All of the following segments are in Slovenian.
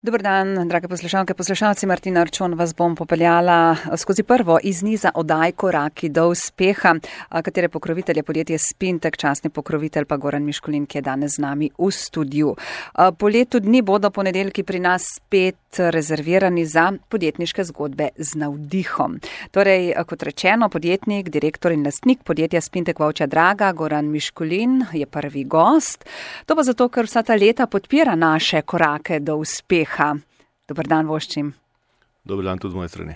Dober dan, drage poslušalke, poslušalci. Martina Arčon vas bom popeljala skozi prvo iz niza oddaj Koraki do uspeha, katere pokrovitelj je podjetje Spintek, častni pokrovitelj pa Goran Miškulin, ki je danes z nami v studiu. Po letu dni bodo ponedeljki pri nas spet rezervirani za podjetniške zgodbe z navdihom. Torej, kot rečeno, podjetnik, direktor in lastnik podjetja Spintek Vovčja Draga, Goran Miškulin, je prvi gost. To pa zato, ker vsa ta leta podpira naše korake do uspeha. Dobar dan, voščim. Dobar dan tudi z moje strani.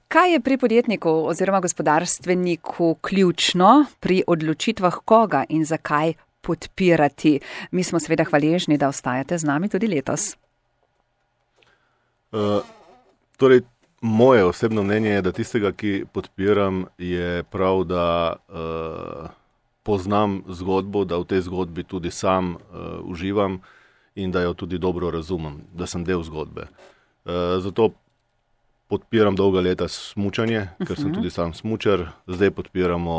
Kaj je pri podjetniku oziroma gospodarstveniku ključno pri odločitvah koga in zakaj podpirati? Mi smo seveda hvaležni, da ostajate z nami tudi letos. Torej, moje osebno mnenje je, da tistega, ki podpiram, je prav, da poznam zgodbo, da v tej zgodbi tudi sam uživam in da jo tudi dobro razumem, da sem del zgodbe. Zato podpiram dolga leta smučanje, ker sem tudi sam smučar. Zdaj podpiramo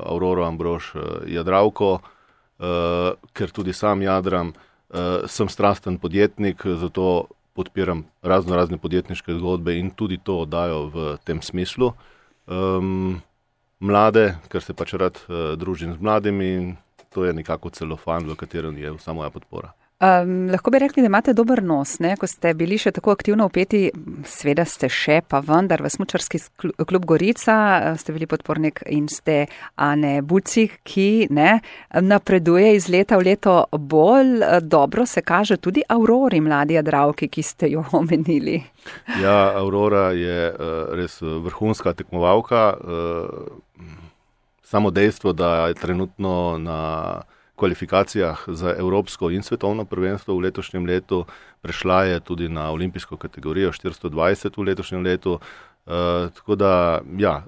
Auroro Ambrož Jadravko, ker tudi sam jadram. Sem strasten podjetnik, zato podpiram razne podjetniške zgodbe in tudi to oddajo v tem smislu. Mlade, ker se pač rad družim z mladimi, in to je nekako celofan, v katerem je vsa moja podpora. Lahko bi rekli, da imate dober nos, ne? Ko ste bili še tako aktivno vpeti, sveda ste še, pa vendar v smučarski klub Gorica ste bili podpornik in ste Ane Bucik, ki napreduje iz leta v leto bolj dobro, se kaže tudi Aurori, mladi jadravki, ki ste jo omenili. Ja, Aurora je res vrhunska tekmovalka. Samo dejstvo, da je trenutno na kvalifikacijah za evropsko in svetovno prvenstvo v letošnjem letu, prešla je tudi na olimpijsko kategorijo 420 v letošnjem letu. Tako da, ja,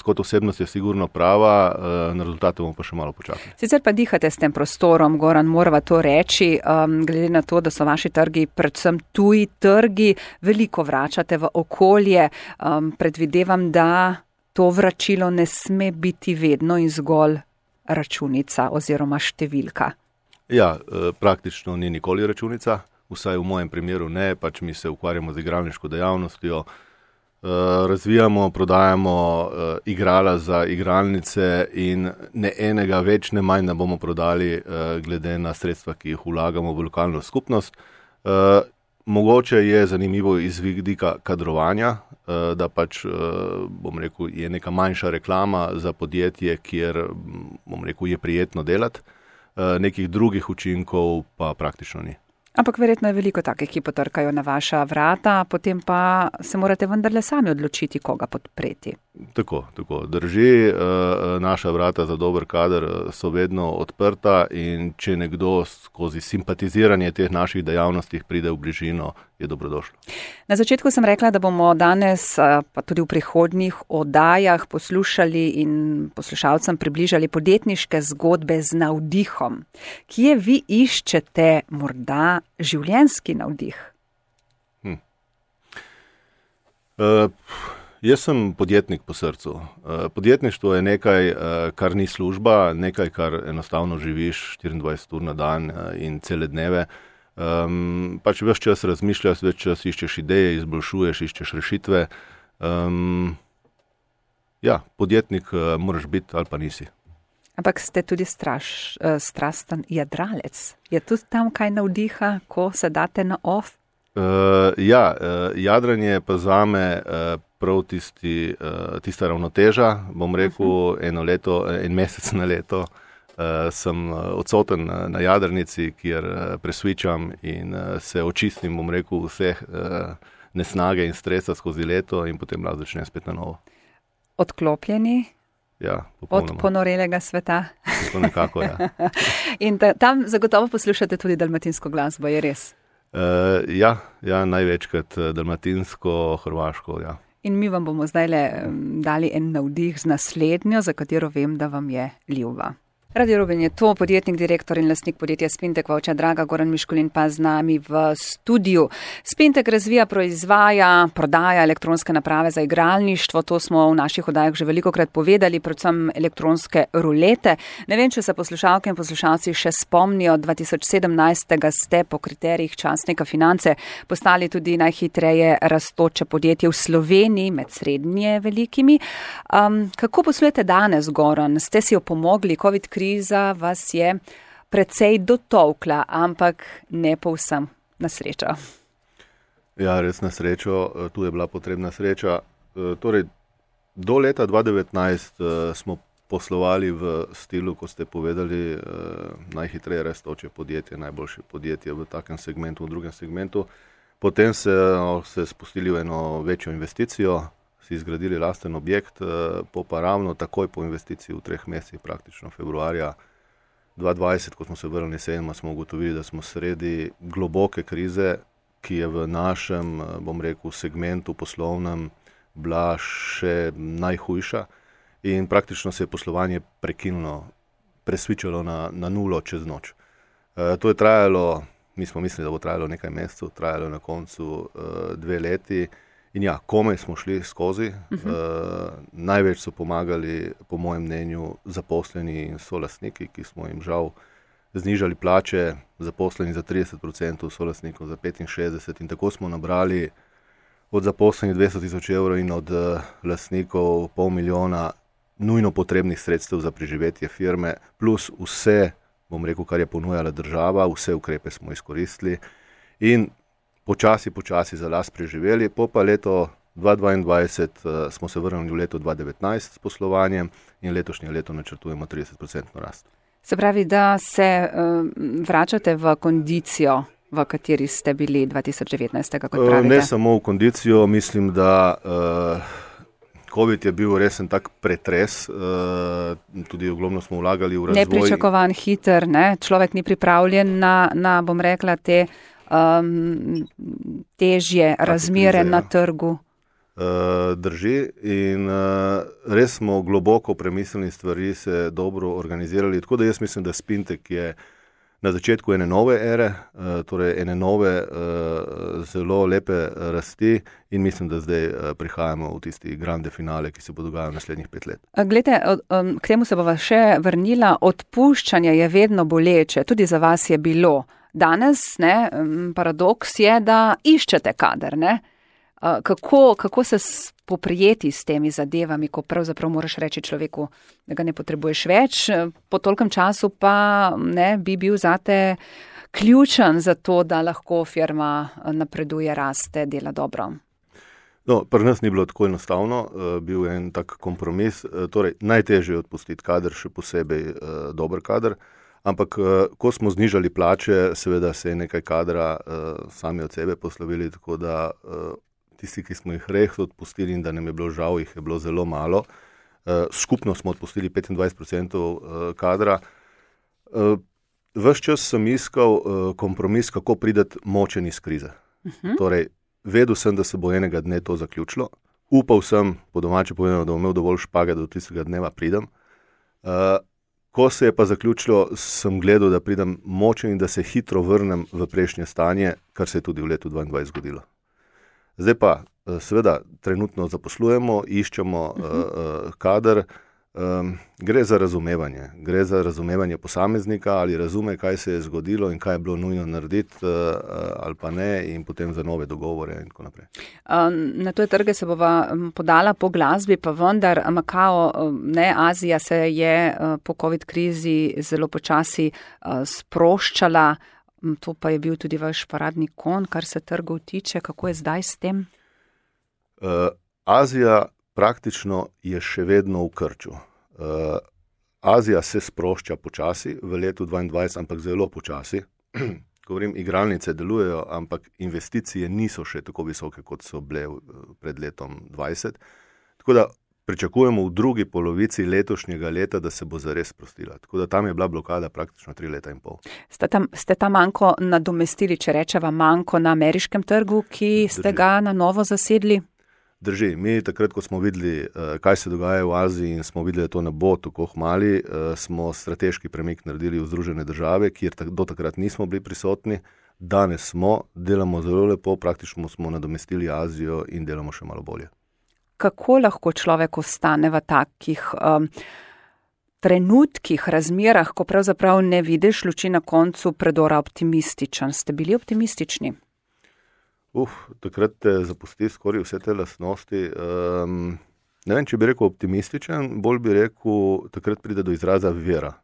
kot osebnost je sigurno prava, na rezultate bomo pa še malo počakali. Sicer pa dihate s tem prostorom, Goran, morava to reči, glede na to, da so vaši trgi, predvsem tuji trgi, veliko vračate v okolje. Predvidevam, da to vračilo ne sme biti vedno in zgolj računica oziroma številka. Ja, praktično ni nikoli računica, vsaj v mojem primeru ne, pač mi se ukvarjamo z igralniško dejavnostjo, razvijamo, prodajamo igrala za igralnice in ne enega več, ne manj ne bomo prodali glede na sredstva, ki jih vlagamo v lokalno skupnost. Mogoče je zanimivo iz vidika kadrovanja, da pač, bom rekel, je neka manjša reklama za podjetje, kjer, bom rekel, je prijetno delati. Nekih drugih učinkov pa praktično ni. Ampak verjetno je veliko takih, ki potrkajo na vaša vrata, potem pa se morate vendarle sami odločiti, koga podpreti. Tako, drži, naša vrata za dober kader so vedno odprta in če nekdo skozi simpatiziranje teh naših dejavnostih pride v bližino, je dobrodošlo. Na začetku sem rekla, da bomo danes, pa tudi v prihodnjih oddajah poslušali in poslušalcem približali podjetniške zgodbe z navdihom. Kje vi iščete morda življenjski navdih? Jaz sem podjetnik po srcu. Podjetništvo je nekaj, kar ni služba, nekaj, kar enostavno živiš 24 ur na dan in cele dneve. Pač ves čas razmišljaš, ves čas iščeš ideje, izboljšuješ, iščeš rešitve. Ja, podjetnik moraš biti ali pa nisi. Ampak ste tudi strasten jadralec. Je tudi tam kaj navdiha, ko se date na off? Ja, jadranje pa zame prav tista ravnoteža, bom rekel, en mesec na leto sem odsoten na jadrnici, kjer presvičam in se očistim, bom rekel, vseh nesnage in stresa skozi leto in potem lahko začnem spet na novo. Odklopljeni? Ja, popolnoma. Od ponorelega sveta? To nekako, ja. In tam zagotovo poslušate tudi dalmatinsko glasbo, je res? Ja, največkrat dalmatinsko, hrvaško, ja. In mi vam bomo zdajle dali en navdih z naslednjo, za katero vem, da vam je ljuba. Radio Roben je to, podjetnik, direktor in lastnik podjetja Spintek Vovča Draga, Goran Miškulin pa z nami v studiu. Spintek razvija, proizvaja, prodaja elektronske naprave za igralništvo, to smo v naših oddajah že velikokrat povedali, predvsem elektronske rulete. Ne vem, če se poslušalke in poslušalci še spomnijo, 2017. ste po kriterijih časnika Finance postali tudi najhitreje rastoče podjetje v Sloveniji med srednje velikimi. Kako poslujete danes, Goran? Ste si opomogli, COVID kriza vas je precej dotolkla, ampak ne povsem na srečo. Ja, res na srečo, tu je bila potrebna sreča. Torej, do leta 2019 smo poslovali v stilu, ko ste povedali, najhitreje rastoče podjetje, najboljše podjetje v takem segmentu, v drugem segmentu. Potem se spustili v eno večjo investicijo, si izgradili lasten objekt, pa ravno takoj po investiciji v 3 mesecih, praktično februarja 2020, ko smo se vrnili jeseni, smo ugotovili, da smo sredi globoke krize, ki je v našem, bom rekel, segmentu poslovnem bila še najhujša in praktično se je poslovanje prekinulo, presvičalo na nulo čez noč. To je trajalo, mi smo mislili, da bo trajalo nekaj mesecev, trajalo je na koncu 2 leti. In ja, komaj smo šli skozi. Največ so pomagali, po mojem mnenju, zaposleni in solastniki, ki smo jim žal znižali plače, zaposleni za 30%, solastnikov za 65%. In tako smo nabrali od zaposlenih 200.000 evrov in od lastnikov 500.000 nujno potrebnih sredstev za preživetje firme, plus vse, bom rekel, kar je ponujala država, vse ukrepe smo izkoristili in počasi za las preživeli. Pa leto 2022 smo se vrnili v leto 2019 s poslovanjem in letošnje leto načrtujemo 30% rast. Se pravi, da se vračate v kondicijo, v kateri ste bili 2019, kot pravite? Ne samo v kondicijo, mislim, da COVID je bil resen tak pretres, tudi ogromno smo vlagali v razvoj. Nepričakovan, hiter, ne? Človek ni pripravljen na bom rekla, te težje razmere na trgu. Drži in res smo globoko premislili stvari, se dobro organizirali, tako da jaz mislim, da Spintek je na začetku ene nove ere, torej ene nove zelo lepe rasti in mislim, da zdaj prihajamo v tisti grande finale, ki se bo dogajal naslednjih 5 let. Glejte, k temu se bova še vrnila, odpuščanje je vedno boleče, tudi za vas je bilo. Danes, paradoks je, da iščete kader, ne? Kako se poprijeti s temi zadevami, ko pravzaprav moraš reči človeku, da ga ne potrebuješ več, po tolkem času pa bi bil zate ključen za to, da lahko firma napreduje, raste, dela dobro? No, pri nas ni bilo tako enostavno, bil je en tak kompromis, torej najtežje je odpustiti kader, še posebej dober kader. Ampak, ko smo znižali plače, seveda se je nekaj kadra sami od sebe poslovili, tako da tisti, ki smo jih res odpustili in da nam je bilo žal, jih je bilo zelo malo. Skupno smo odpustili 25% kadra. Ves čas sem iskal kompromis, kako priti močen iz krize. Torej, vedel sem, da se bo enega dne to zaključilo. Upal sem, po domače povedano, da bom imel dovolj špage, da do tistega dneva pridem. Ko se je pa zaključilo, sem gledal, da pridem močen in da se hitro vrnem v prejšnje stanje, kar se je tudi v letu 2022 zgodilo. Zdaj pa, seveda, trenutno zaposlujemo, iščemo kader, gre za razumevanje posameznika, ali razume, kaj se je zgodilo in kaj je bilo nujno narediti ali pa ne, in potem za nove dogovore in tako naprej. Na tuje trge se bova podala po glasbi, pa vendar Makao, Azija se je po COVID krizi zelo počasi sproščala, to pa je bil tudi vaš paradni konj, kar se trgov tiče. Kako je zdaj s tem? Azija praktično je še vedno v krču. Azija se sprošča počasi v letu 2022, ampak zelo počasi. Govorim, igralnice delujejo, ampak investicije niso še tako visoke, kot so bile pred letom 2020. Tako da pričakujemo v drugi polovici letošnjega leta, da se bo zares sprostila. Tako da tam je bila blokada praktično 3 leta in pol. Ste ta manko nadomestili, če rečeva manko na ameriškem trgu, ki ste ga na novo zasedli? Drži, mi takrat, ko smo videli, kaj se dogaja v Aziji in smo videli, da to ne bo tako hmali, smo strateški premik naredili v Združene države, kjer do takrat nismo bili prisotni. Danes smo, delamo zelo lepo, praktično smo nadomestili Azijo in delamo še malo bolje. Kako lahko človek ostane v takih trenutkih, razmerah, ko pravzaprav ne vidiš luči na koncu predora, optimističen? Ste bili optimistični? Takrat te zapusti skoraj vse te lastnosti. Ne vem, če bi rekel optimističen, bolj bi rekel, takrat pride do izraza vera.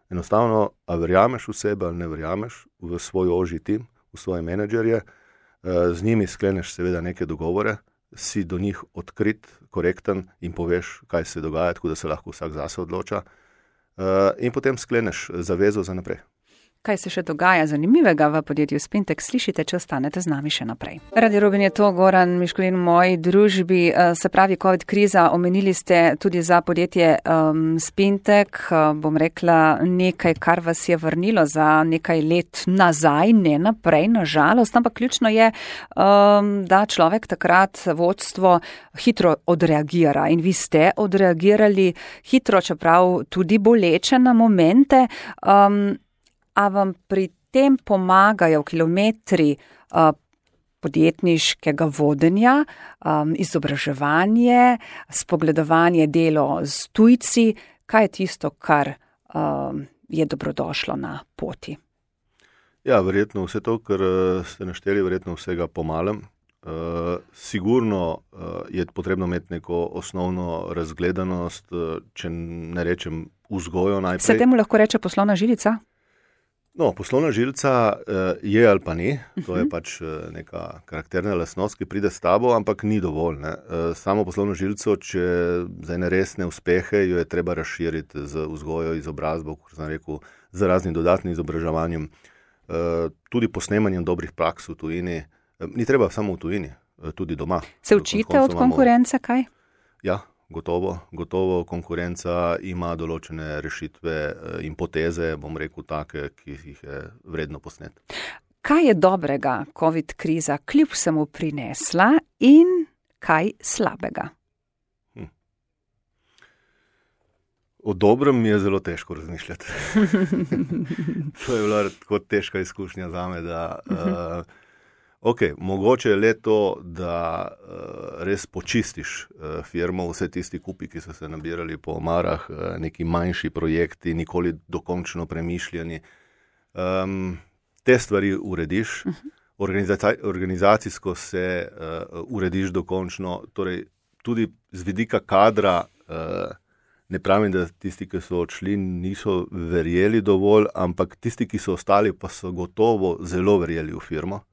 Enostavno, a verjameš v sebe ali ne verjameš v svoj ožji tim, v svoje menedžerje, z njimi skleneš seveda neke dogovore, si do njih odkrit, korekten in poveš, kaj se dogaja, tako da se lahko vsak zase odloča, in potem skleneš zavezo za naprej. Kaj se še dogaja zanimivega v podjetju Spintek, slišite, če ostanete z nami še naprej. Radio Rubin je to, Goran Miškulin v moji družbi, se pravi COVID kriza, omenili ste tudi za podjetje Spintek, bom rekla nekaj, kar vas je vrnilo za nekaj let nazaj, ne naprej, nažalost, ampak ključno je, da človek takrat vodstvo hitro odreagira in vi ste odreagirali hitro, čeprav tudi boleče na momente. A vam pri tem pomagajo kilometri podjetniškega vodenja, izobraževanje, spogledovanje delo z tujci? Kaj je tisto, kar je dobrodošlo na poti? Ja, verjetno vse to, kar ste našteli, verjetno vsega pomalem. Sigurno je potrebno imeti neko osnovno razgledanost, če ne rečem vzgojo najprej. Se temu lahko reče poslovna žilica? No, poslovna žilica je ali pa ni, to je pač neka karakterna lastnost, ki pride s tabo, ampak ni dovolj. Ne? Samo poslovno žilico, če za ene resne uspehe, jo je treba razširiti z vzgojo, izobrazbo, kot sem rekel, z raznim dodatnim izobraževanjem, tudi posnemanjem dobrih praks v tujini. Ni treba samo v tujini, tudi doma. Se učite od konkurence kaj? Ja. Gotovo konkurenca ima določene rešitve in poteze, bom rekel, take, ki jih je vredno posneti. Kaj je dobrega COVID kriza kljub vsemu prinesla in kaj slabega? O dobrem mi je zelo težko razmišljati. To je bila tako težka izkušnja zame, da mogoče je le to, da res počistiš firmo, vse tisti kupi, ki so se nabirali po omarah, neki manjši projekti, nikoli dokončno premišljeni. Te stvari urediš, organizacijsko se urediš dokončno, torej tudi z vidika kadra, ne pravim, da tisti, ki so odšli, niso verjeli dovolj, ampak tisti, ki so ostali, pa so gotovo zelo verjeli v firmo.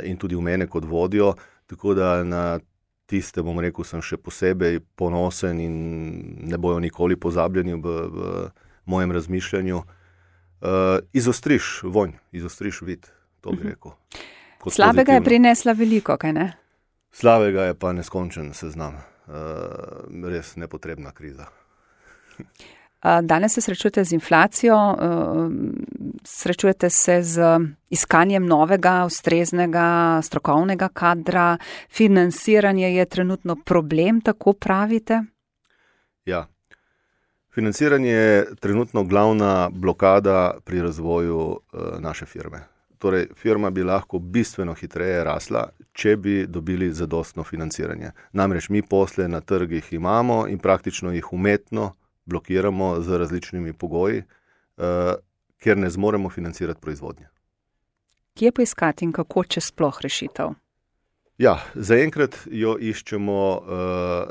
In tudi v mene kot vodjo, tako da na tiste, bom rekel, sem še posebej ponosen in ne bojo nikoli pozabljeni v mojem razmišljanju. Izostriš vonj, izostriš vid, to bi rekel. Slabega je prinesla veliko, kaj ne? Slabega je pa neskončen seznam. Res nepotrebna kriza. Danes se srečujete z inflacijo, srečujete se z iskanjem novega, ustreznega, strokovnega kadra, financiranje je trenutno problem, tako pravite? Ja, financiranje je trenutno glavna blokada pri razvoju naše firme. Torej, firma bi lahko bistveno hitreje rasla, če bi dobili zadostno financiranje. Namreč mi posle na trgih imamo in praktično jih umetno blokiramo z različnimi pogoji, ker ne zmoremo financirati proizvodnje. Kje poiskati in kako, če sploh rešitev? Ja, zaenkrat jo iščemo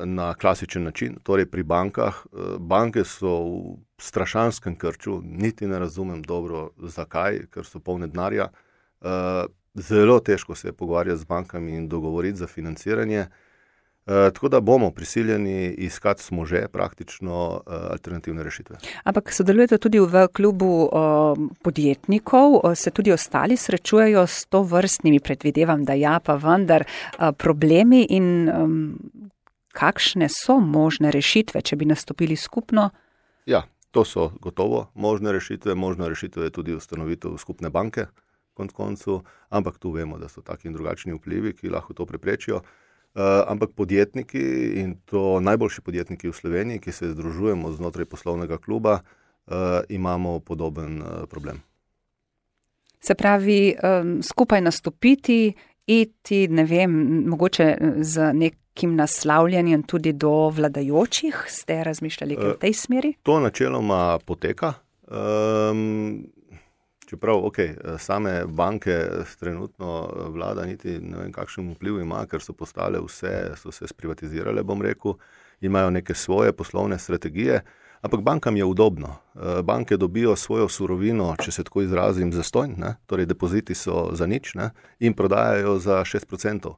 na klasičen način, torej pri bankah. Banke so v strašanskem krču, niti ne razumem dobro zakaj, ker so polne denarja. Zelo težko se je pogovarjati z bankami in dogovoriti za financiranje. Tako da bomo prisiljeni iskati, smo že praktično alternativne rešitve. Ampak sodelujete tudi v klubu podjetnikov, se tudi ostali srečujejo s to vrstnimi, predvidevam, da ja, pa vendar problemi in kakšne so možne rešitve, če bi nastopili skupno? Ja, to so gotovo možne rešitve. Možna rešitev je tudi ustanovitev skupne banke, koncu, ampak tu vemo, da so taki in drugačni vplivi, ki lahko to preprečijo. ampak podjetniki, in to najboljši podjetniki v Sloveniji, ki se združujemo znotraj poslovnega kluba, imamo podoben problem. Se pravi, skupaj nastopiti, iti, ne vem, mogoče z nekim naslavljanjem tudi do vladajočih, ste razmišljali v tej smeri? To načeloma poteka. Čeprav, same banke trenutno vlada niti ne vem, kakšen vpliv ima, ker so postale vse, so se sprivatizirale, bom rekel, imajo neke svoje poslovne strategije, ampak bankam je udobno. Banke dobijo svojo surovino, če se tako izrazim, zastonj, torej depoziti so za nič, in prodajajo za 6%.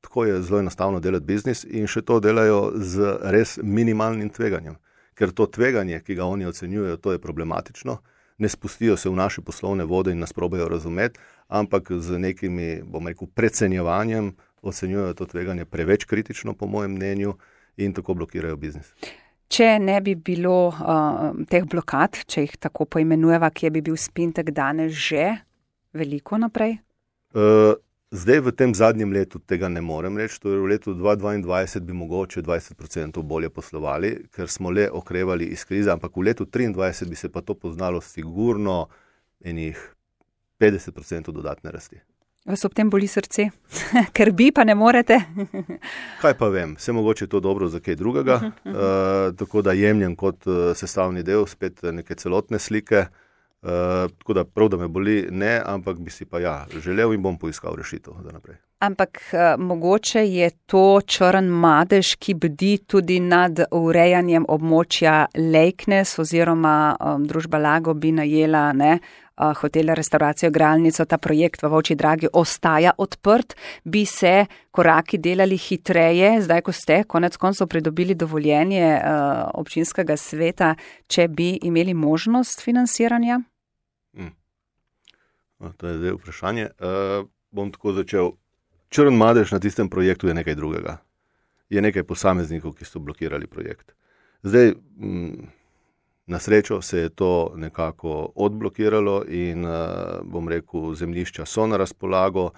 Tako je zelo enostavno delati biznis in še to delajo z res minimalnim tveganjem. Ker to tveganje, ki ga oni ocenjujejo, to je problematično. Ne spustijo se v naše poslovne vode in nas probajo razumeti, ampak z nekimi, bom rekel, precenjevanjem ocenjujejo to tveganje preveč kritično, po mojem mnenju, in tako blokirajo biznis. Če ne bi bilo teh blokad, če jih tako poimenujeva, kje bi bil Spintek danes že veliko naprej? Zdaj v tem zadnjem letu tega ne morem reči, to je v letu 2022 bi mogoče 20% bolje poslovali, ker smo le okrevali iz krize, ampak v letu 2023 bi se pa to poznalo sigurno enih 50% dodatne rasti. Vas ob tem boli srce? Ker bi, pa ne morete? Kaj pa vem, se mogoče to dobro za kaj drugega, tako da jemljem kot sestavni del spet neke celotne slike. Tako da prav, da me boli, ne, ampak bi si pa želel in bom poiskal rešitev za naprej. Ampak mogoče je to črn madež, ki bdi tudi nad urejanjem območja Lejknes oziroma družba Lago bi najela hotel, restauracijo, igralnico, ta projekt v Volčji Dragi ostaja odprt, bi se koraki delali hitreje, zdaj ko ste konec koncev pridobili dovoljenje občinskega sveta, če bi imeli možnost financiranja? To je zdaj vprašanje. Bom tako začel. Črn madež na tistem projektu je nekaj drugega. Je nekaj posameznikov, ki so blokirali projekt. Zdaj, na srečo se je to nekako odblokiralo in, bom rekel, zemljišča so na razpolago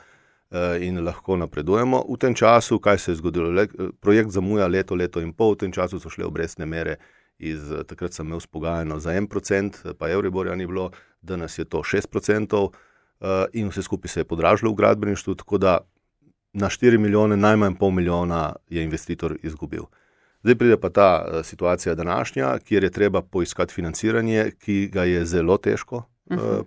in lahko napredujemo. V tem času, kaj se je zgodilo? Projekt zamuja leto in pol, v tem času so šle obrestne mere takrat sem imel spogajano za 1%, pa Euriborja ni bilo, danes je to 6% in vse skupaj se je podražilo v gradbeništvu, tako da na 4 milijone, najmanj pol milijona je investitor izgubil. Zdaj pride pa ta situacija današnja, kjer je treba poiskati financiranje, ki ga je zelo težko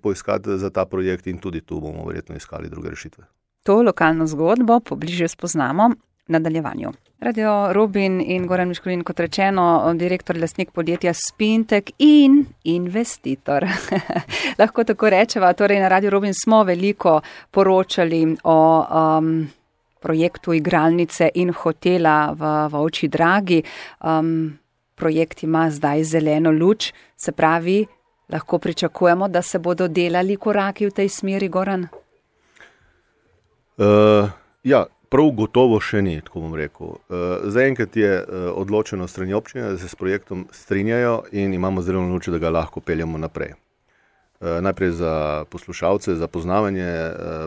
poiskati za ta projekt in tudi tu bomo verjetno iskali druge rešitve. To lokalno zgodbo pobliže spoznamo v nadaljevanju. Radio Rubin in Goran Miškulin, kot rečeno, direktor, lastnik podjetja Spintek in investitor. Lahko tako rečeva, torej na Radio Rubin smo veliko poročali o projektu igralnice in hotela v Volčji Dragi. Projekt ima zdaj zeleno luč, se pravi, lahko pričakujemo, da se bodo delali koraki v tej smeri, Goran? Prav gotovo še ni, tako bom rekel. Zaenkrat je odločeno strani občine, da se s projektom strinjajo in imamo zeleno luč, da ga lahko peljemo naprej. Najprej za poslušalce, za poznavanje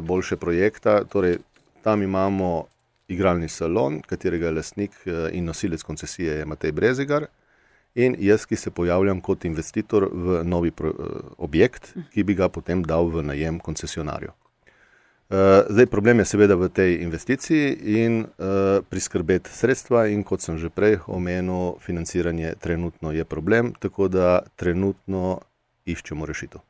boljše projekta, torej tam imamo igralni salon, katerega je lastnik in nosilec koncesije je Matej Brezigar in jaz, ki se pojavljam kot investitor v novi objekt, ki bi ga potem dal v najem koncesionarju. Zdaj problem je seveda v tej investiciji in priskrbeti sredstva in kot sem že prej omenil, financiranje trenutno je problem, tako da trenutno iščemo rešitev.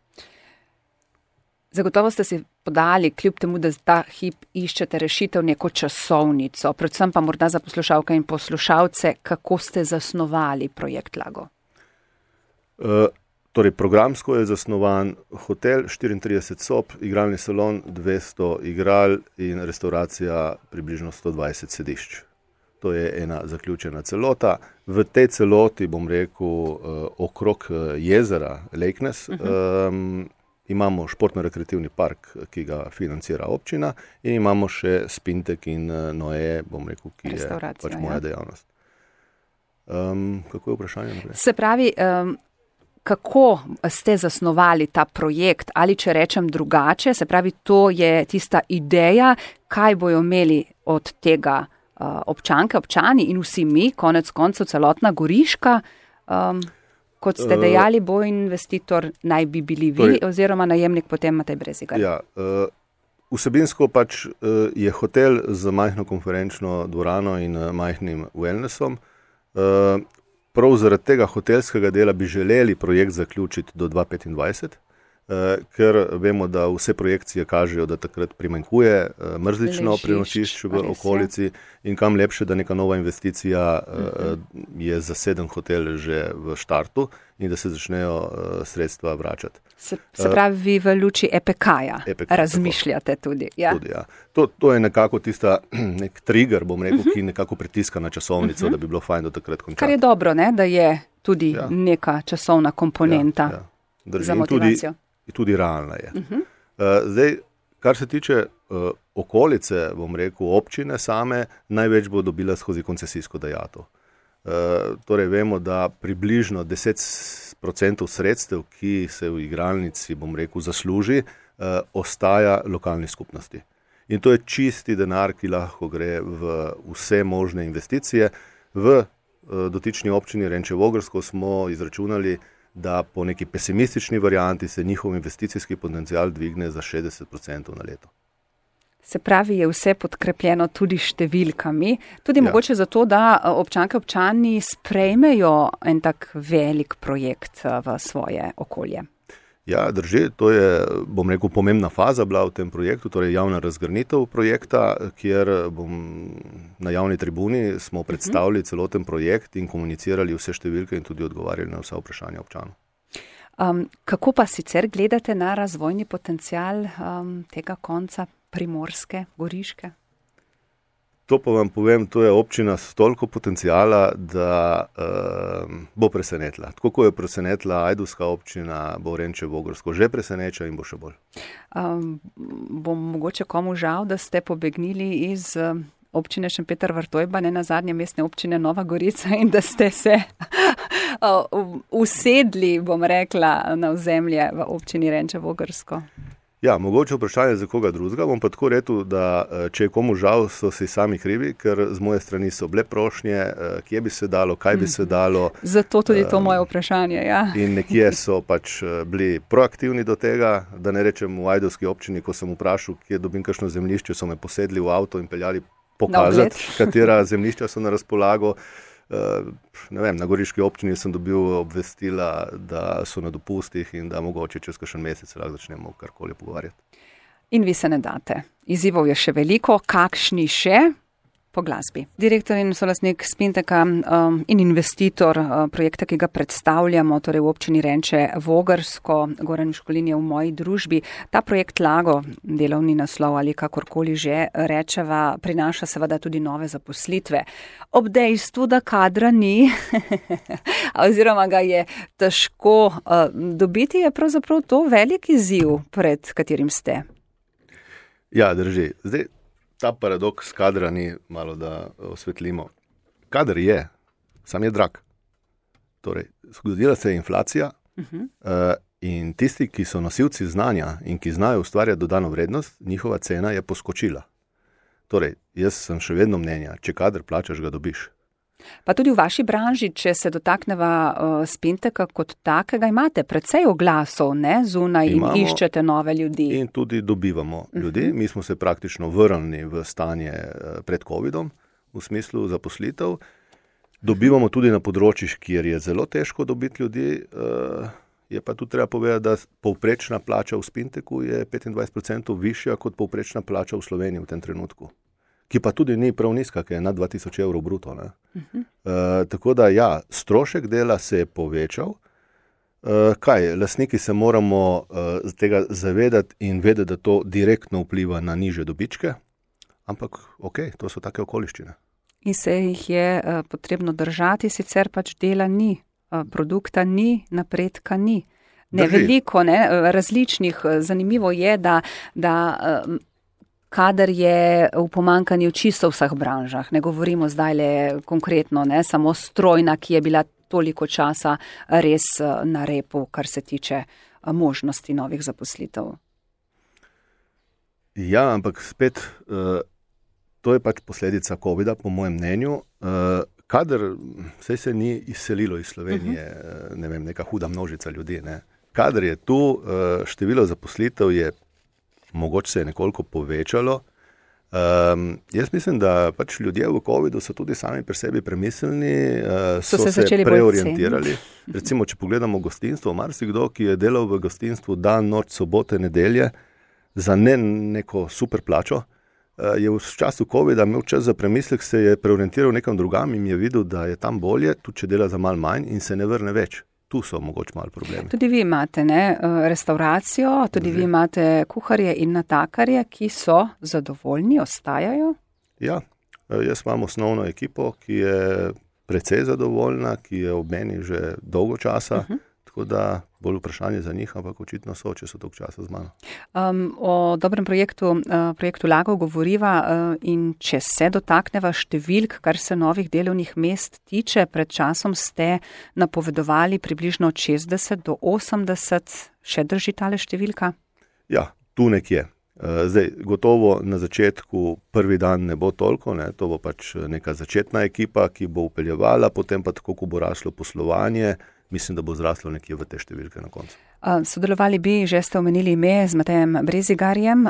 Zagotovo ste si podali, kljub temu, da ta hip iščete rešitev, neko časovnico, predvsem pa morda za poslušalke in poslušalce, kako ste zasnovali projekt Lago? Torej, programsko je zasnovan hotel, 34 sob, igralni salon, 200 igral in restauracija približno 120 sedišč. To je ena zaključena celota. V tej celoti, bom rekel, okrog jezera Lejknes, imamo športno-rekreativni park, ki ga financira občina in imamo še Spintek in Noe, bom rekel, ki je pač moja dejavnost. Kako je vprašanje naprej? Se pravi, kako ste zasnovali ta projekt ali če rečem drugače, se pravi, to je tista ideja, kaj bojo imeli od tega občanke, občani in vsi mi, konec koncev celotna Goriška, kot ste dejali, bo investitor naj bi bili vi oziroma najemnik potem Matej Brezigar. Ja, vsebinsko pač je hotel z majhno konferenčno dvorano in majhnim wellnessom. Prav zaradi tega hotelskega dela bi želeli projekt zaključiti do 2025, ker vemo, da vse projekcije kažejo, da takrat primanjkuje mrzlično prenočišč v okolici in kam lepše, da neka nova investicija je zaseden hotel že v štartu in da se začnejo sredstva vračati. Se pravi, vi v luči EPK-ja razmišljate tudi. Ja? Tudi, ja. To je nekako tista nek trigger, bom rekel, ki nekako pritiska na časovnico, da bi bilo fajn do takrat končati. Kar je dobro, ne? Da je tudi neka časovna komponenta za motivacijo. Tudi realna je. Zdaj, kar se tiče okolice, bom rekel, občine same, največ bo dobila skozi koncesijsko dajatev. Torej, vemo, da približno 10% sredstev, ki se v igralnici, bom rekel, zasluži, ostaja lokalni skupnosti. In to je čisti denar, ki lahko gre v vse možne investicije. V dotični občini Renče Vogrsko smo izračunali, da po neki pesimistični varianti se njihov investicijski potencial dvigne za 60% na leto. Se pravi, je vse podkrepljeno tudi številkami, tudi mogoče zato, da občanke občani sprejmejo en tak velik projekt v svoje okolje. Ja, drži, to je, bom rekel, pomembna faza bila v tem projektu, torej javna razgrnitev projekta, kjer na javni tribuni smo predstavili celoten projekt in komunicirali vse številke in tudi odgovarjali na vsa vprašanja občanov. Kako pa sicer gledate na razvojni potencial tega konca Primorske, Goriške? To pa vam povem, to je občina s toliko potencijala, da bo presenetila. Tako kot je presenetila ajdovska občina, bo Renče Vogrsko že preseneča in bo še bolj. Bo mogoče komu žal, da ste pobegnili iz občine Šempeter Vrtojba, ne nazadnje mestne občine Nova Gorica in da ste se usedli, bom rekla, na ozemlje v občini Renče Vogrsko? Ja, mogoče vprašanje za koga drugega, bom pa tako rekel, da če je komu žal, so si sami krivi, ker z moje strani so bile prošnje, kje bi se dalo, kaj bi se dalo. Zato tudi to moje vprašanje, ja. In nekje so pač bili proaktivni do tega, da ne rečem v ajdovski občini, ko sem vprašal, kje dobim kakšno zemljišče, so me posedli v avto in peljali pokazati, katera zemljišča so na razpolago. Ne vem, na Goriški občini sem dobil obvestila, da so na dopustih in da mogoče čez kakšen mesec lahko začnemo karkoli pogovarjati. In vi se ne date. Izzivov je še veliko, kakšni še? Po glasbi. Direktor in solastnik Spinteka in investitor projekta, ki ga predstavljamo, torej v občini Renče Vogrsko, Goran Miškulin je v moji družbi. Ta projekt Lago, delovni naslov ali kakorkoli že rečeva, prinaša seveda tudi nove zaposlitve. Ob dejstvu, da kadra ni, oziroma ga je težko dobiti, je pravzaprav to velik izziv, pred katerim ste. Ja, drži. Zdaj, ta paradoks kadra ni, malo da osvetlimo. Kader je, sam je drag. Torej, zgodila se je inflacija in tisti, ki so nosilci znanja in ki znajo ustvarjati dodano vrednost, njihova cena je poskočila. Torej, jaz sem še vedno mnenja, če kader plačaš, ga dobiš. Pa tudi v vaši branži, če se dotakneva Spinteka kot takega, imate precej oglasov, ne, zunaj in iščete nove ljudi. In tudi dobivamo ljudi. Mi smo se praktično vrnili v stanje pred covidom, v smislu zaposlitev. Dobivamo tudi na področjih, kjer je zelo težko dobiti ljudi. Je pa tudi treba povedati, da povprečna plača v Spinteku je 25% višja kot povprečna plača v Sloveniji v tem trenutku. Ki pa tudi ni prav nizka, ki je nad 2000 evrov bruto. Tako da ja, strošek dela se je povečal. Lastniki se moramo tega zavedati in vedeti, da to direktno vpliva na nižje dobičke, ampak to so take okoliščine. In se jih je potrebno držati, sicer pač dela ni, produkta ni, napredka ni. Ne, veliko, ne, različnih. Zanimivo je, da kadar je v pomanjkanju čisto v vseh branžah, ne govorimo zdaj le konkretno, ne, samo strojna, ki je bila toliko časa res na repu, kar se tiče možnosti novih zaposlitev. Ja, ampak spet To je pač posledica COVID-a, po mojem mnenju. Kadar se ni izselilo iz Slovenije, ne vem, neka huda množica ljudi, ne. Kadar je tu, število zaposlitev je mogoče se je nekoliko povečalo. Jaz mislim, da pač ljudje v COVID-u so tudi sami pri sebi premisleni, so se preorientirali. Recimo, če pogledamo gostinstvo, marsikdo, ki je delal v gostinstvu dan, noč, sobote, nedelje, za neko super plačo, je v času COVID-a imel čas za premislek, se je preorientiral nekam drugam in je videl, da je tam bolje, tudi če dela za malo manj in se ne vrne več. Tu so mogoče malo problemi. Tudi vi imate restauracijo, tudi vi imate kuharje in natakarje, ki so zadovoljni, ostajajo? Ja, jaz imam osnovno ekipo, ki je precej zadovoljna, ki je ob meni že dolgo časa, tako da bolj vprašanje za njih, ampak očitno so, če so toliko časa z mano. O dobrem projektu Lagov govoriva in če se dotakneva številk, kar se novih delovnih mest tiče, pred časom ste napovedovali približno od 60 do 80, še drži tale številka? Ja, tu nekje. Zdaj, gotovo na začetku prvi dan ne bo toliko, ne? To bo pač neka začetna ekipa, ki bo upeljevala, potem pa tako, ko bo raslo poslovanje, mislim, da bo zraslo nekje v te številke na koncu. Sodelovali bi, že ste omenili ime z Matejem Brezigarjem.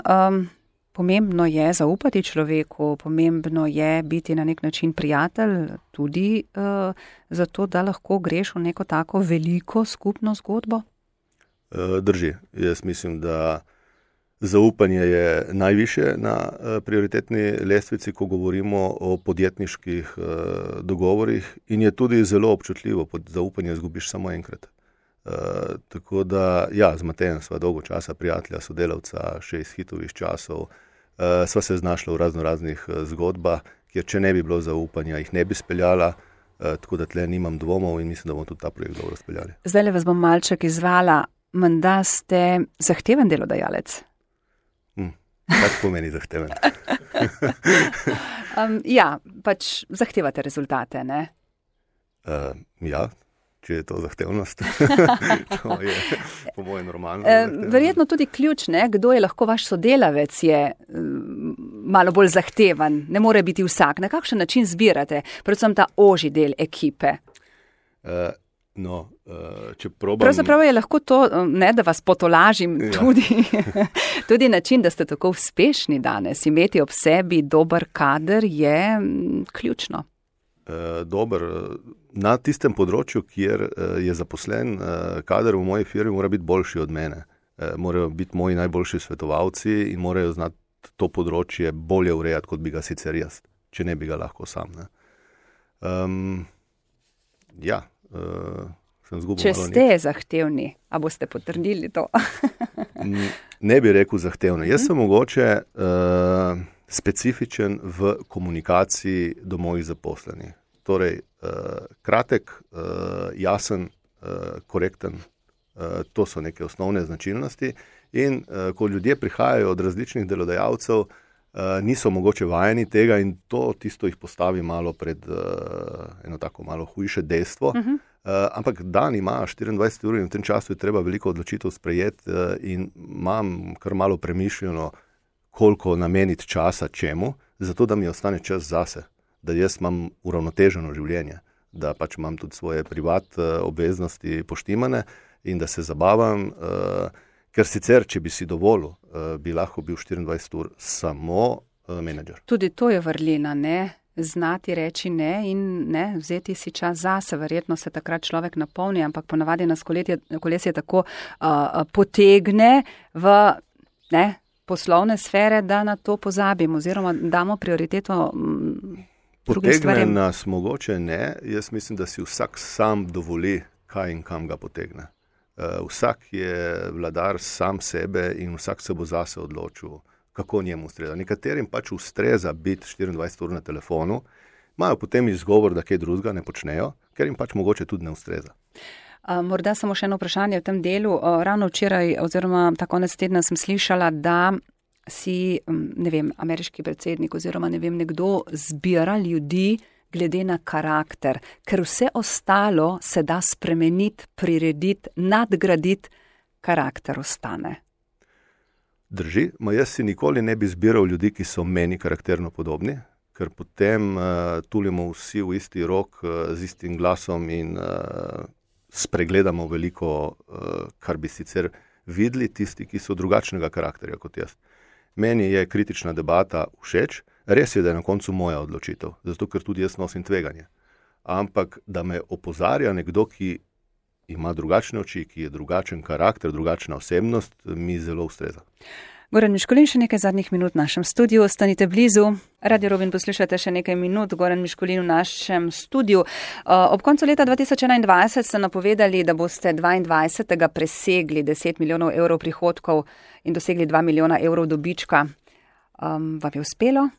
Pomembno je zaupati človeku, pomembno je biti na nek način prijatelj, tudi zato, da lahko greš v neko tako veliko skupno zgodbo? Drži. Jaz mislim, da zaupanje je najviše na prioritetni lestvici, ko govorimo o podjetniških dogovorih in je tudi zelo občutljivo. Zaupanje izgubiš samo enkrat. Tako da, ja, z Matejem sva dolgo časa prijatelja, sodelavca, še iz hitovih časov. Sva se znašla v raznih zgodbah, kjer če ne bi bilo zaupanja, jih ne bi speljala. Tako da tle nimam dvomov in mislim, da bomo tudi ta projekt dobro speljali. Zdaj vas bom malček izvala. Menda ste zahteven delodajalec? Kaj pomeni zahteven? Ja, pač zahtevate rezultate, ne? Ja, če je to zahtevnost. To je po mojem normalno. Verjetno tudi ključ, ne? Kdo je lahko vaš sodelavec, je malo bolj zahteven. Ne more biti vsak. Na kakšen način zbirate? Predvsem ta ožji del ekipe. No, če probam... Pravzaprav je lahko to, ne, da vas potolažim, tudi način, da ste tako uspešni danes. Imeti ob sebi dober kader je ključno. Dober. Na tistem področju, kjer je zaposlen kader v moji firmi, mora biti boljši od mene. Morajo biti moji najboljši svetovalci in morajo znati to področje bolje urejati, kot bi ga sicer jaz, če ne bi ga lahko sam. Ne? Ja, če ste zahtevni, a boste potrdili to? Ne bi rekel zahtevno. Jaz sem mogoče specifičen v komunikaciji do mojih zaposlenih. Torej, kratek, jasen, korekten, to so neke osnovne značilnosti in ko ljudje prihajajo od različnih delodajalcev, niso mogoče vajeni tega in to tisto jih postavi malo pred eno tako malo hujše dejstvo. Ampak dan ima 24 ur in v tem času je treba veliko odločitev sprejeti in imam kar malo premišljeno, koliko nameniti časa čemu, zato da mi ostane čas zase, da jaz imam uravnoteženo življenje, da pač imam tudi svoje privat obveznosti poštimane in da se zabavam, ker sicer, če bi si dovolil, bi lahko bil 24 ur samo menedžer. Tudi to je vrlina, ne? Znati reči ne in ne, vzeti si čas zase. Verjetno se takrat človek napolni, ampak ponavadi nas kolesje tako potegne v poslovne sfere, da na to pozabimo oziroma damo prioriteto drugim stvarem. Potegne nas mogoče ne. Jaz mislim, da si vsak sam dovoli, kaj in kam ga potegne. Vsak je vladar sam sebe in vsak se bo zase odločil, kako njemu ustreza. Nekaterim pač ustreza biti 24 ur na telefonu, imajo potem izgovor, da kaj drugega ne počnejo, ker jim pač mogoče tudi ne ustreza. Morda samo še eno vprašanje v tem delu. Ravno včeraj oziroma ta konec tedna sem slišala, da si, ne vem, ameriški predsednik oziroma ne vem, nekdo zbira ljudi glede na karakter, ker vse ostalo se da spremeniti, prirediti, nadgraditi, karakter ostane. Drži, jaz si nikoli ne bi zbiral ljudi, ki so meni karakterno podobni, ker potem tulimo vsi v isti rok z istim glasom in spregledamo veliko, kar bi sicer videli tisti, ki so drugačnega karakterja kot jaz. Meni je kritična debata všeč, res je, da je na koncu moja odločitev, zato ker tudi jaz nosim tveganje. Ampak, da me opozarja nekdo, ki ima drugačne oči, ki je drugačen karakter, drugačna osebnost, mi zelo ustreza. Goran Miškulin, še nekaj zadnjih minut v našem studiu. Ostanite blizu. Radio Robin poslušate še nekaj minut. Goran Miškulin v našem studiu. Ob koncu leta 2021 ste napovedali, da boste 22. presegli 10 milijonov evrov prihodkov in dosegli 2 milijona evrov dobička. Vam je uspelo?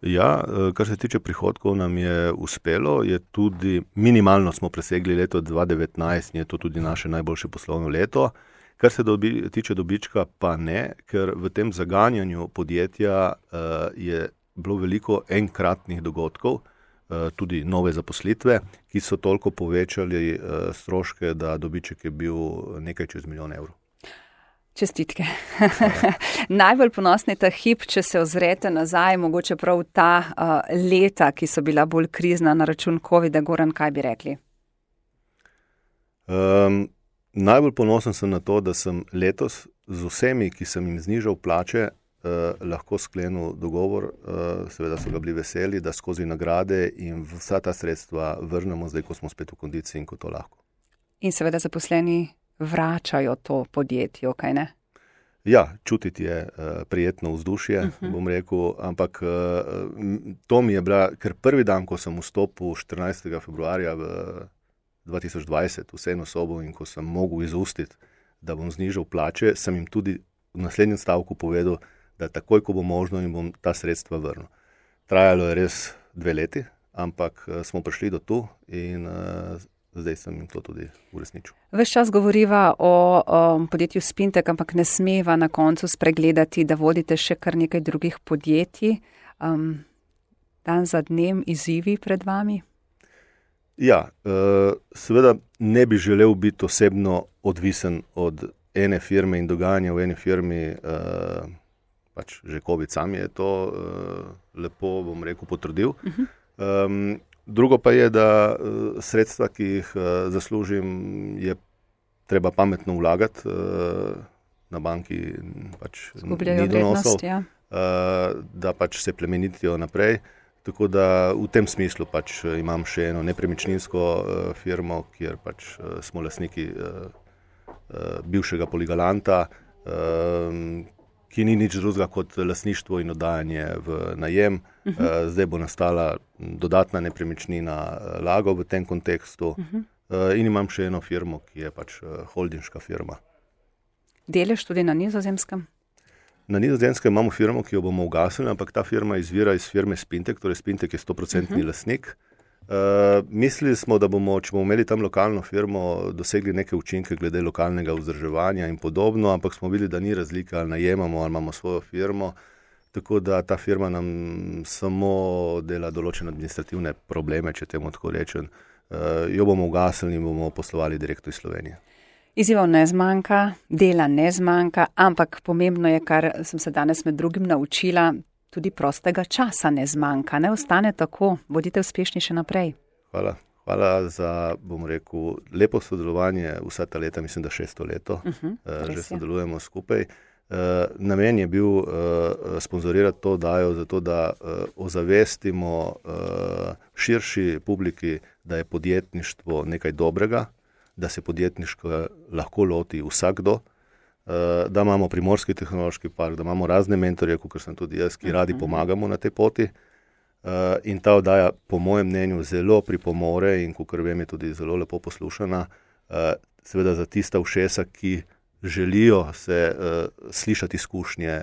Ja, kar se tiče prihodkov, nam je uspelo. Je tudi minimalno smo presegli leto 2019 in je to tudi naše najboljše poslovno leto. Kar se tiče dobička, pa ne, ker v tem zaganjanju podjetja je bilo veliko enkratnih dogodkov, tudi nove zaposlitve, ki so toliko povečali stroške, da dobiček je bil nekaj čez milijon evrov. Čestitke. Najbolj ponosni ta hip, če se ozrete nazaj, mogoče prav ta leta, ki so bila bolj krizna na račun COVID-a. Goran, kaj bi rekli? Najbolj ponosen sem na to, da sem letos z vsemi, ki sem jim znižal plače, lahko sklenil dogovor, seveda so ga bili veseli, da skozi nagrade in vsa ta sredstva vrnemo zdaj, ko smo spet v kondiciji in ko to lahko. In seveda zaposleni vračajo to podjetje, kaj ne? Ja, čutiti je prijetno vzdušje, bom rekel, ampak to mi je bila, ker prvi dan, ko sem vstopil 14. februarja v 2020 v sejno sobo in ko sem mogel izustiti, da bom znižal plače, sem jim tudi v naslednjem stavku povedal, da takoj, ko bo možno, jim bom ta sredstva vrnil. Trajalo je res 2 leti, ampak smo prišli do tu in zdaj sem jim to tudi uresničil. Ves čas govoriva o podjetju Spintek, ampak ne smeva na koncu spregledati, da vodite še kar nekaj drugih podjetij. Dan za dnem izzivi pred vami? Ja, seveda ne bi želel biti osebno odvisen od ene firme in dogajanja v eni firmi, pač že COVID sam je to lepo, bom rekel, potrdil. Drugo pa je, da sredstva, ki jih zaslužim, je treba pametno vlagati, na banki pač ni donosov, ja. Da pač se plemenitijo naprej. Tako da v tem smislu pač imam še eno nepremičninsko firmo, kjer pač smo lastniki bivšega Poligalanta, ki ni nič drugega kot lastništvo in oddajanje v najem. Zdaj bo nastala dodatna nepremičnina Lago v tem kontekstu in imam še eno firmo, ki je pač holdinška firma. Delež tudi na Nizozemskem? Na Nizozemskem imamo firmo, ki jo bomo ugasnili, ampak ta firma izvira iz firme Spintek, torej Spintek je 100% lastnik. Mislili smo, da bomo, če bomo imeli tam lokalno firmo, dosegli neke učinke glede lokalnega vzdrževanja in podobno, ampak smo videli, da ni razlika, ali najemamo, ali imamo svojo firmo, tako da ta firma nam samo dela določene administrativne probleme, če temu tako rečem. Jo bomo ugasnili in bomo poslovali direktno iz Slovenije. Izzivov ne zmanjka, dela ne zmanjka, ampak pomembno je, kar sem se danes med drugim naučila, tudi prostega časa ne zmanjka. Ne ostane tako, bodite uspešni še naprej. Hvala. Hvala za, bom rekel, lepo sodelovanje vsa ta leta, mislim, da 600 leto, že sodelujemo skupaj. Namen je bil sponzorirati to dajo, zato da ozavestimo širši publiki, da je podjetništvo nekaj dobrega, da se podjetniško lahko loti vsakdo, da imamo Primorski tehnološki park, da imamo razne mentorje, kot sem tudi jaz, ki radi pomagamo na tej poti. In ta oddaja, po mojem mnenju, zelo pripomore in, kakor vem, je tudi zelo lepo poslušana, seveda za tista ušesa, ki želijo se slišati izkušnje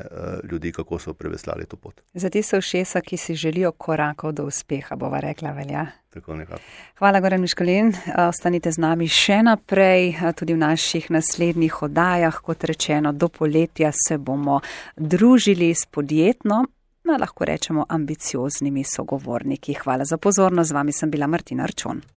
ljudi, kako so preveslali to pot. Za tiste ušesa, ki si želijo korakov do uspeha, bova rekla, velja. Tako nekako. Hvala, Goran Miškulin. Ostanite z nami še naprej, tudi v naših naslednjih oddajah. Kot rečeno, do poletja se bomo družili s podjetno, lahko rečemo ambicioznimi sogovorniki. Hvala za pozornost. Z vami sem bila Martina Arčon.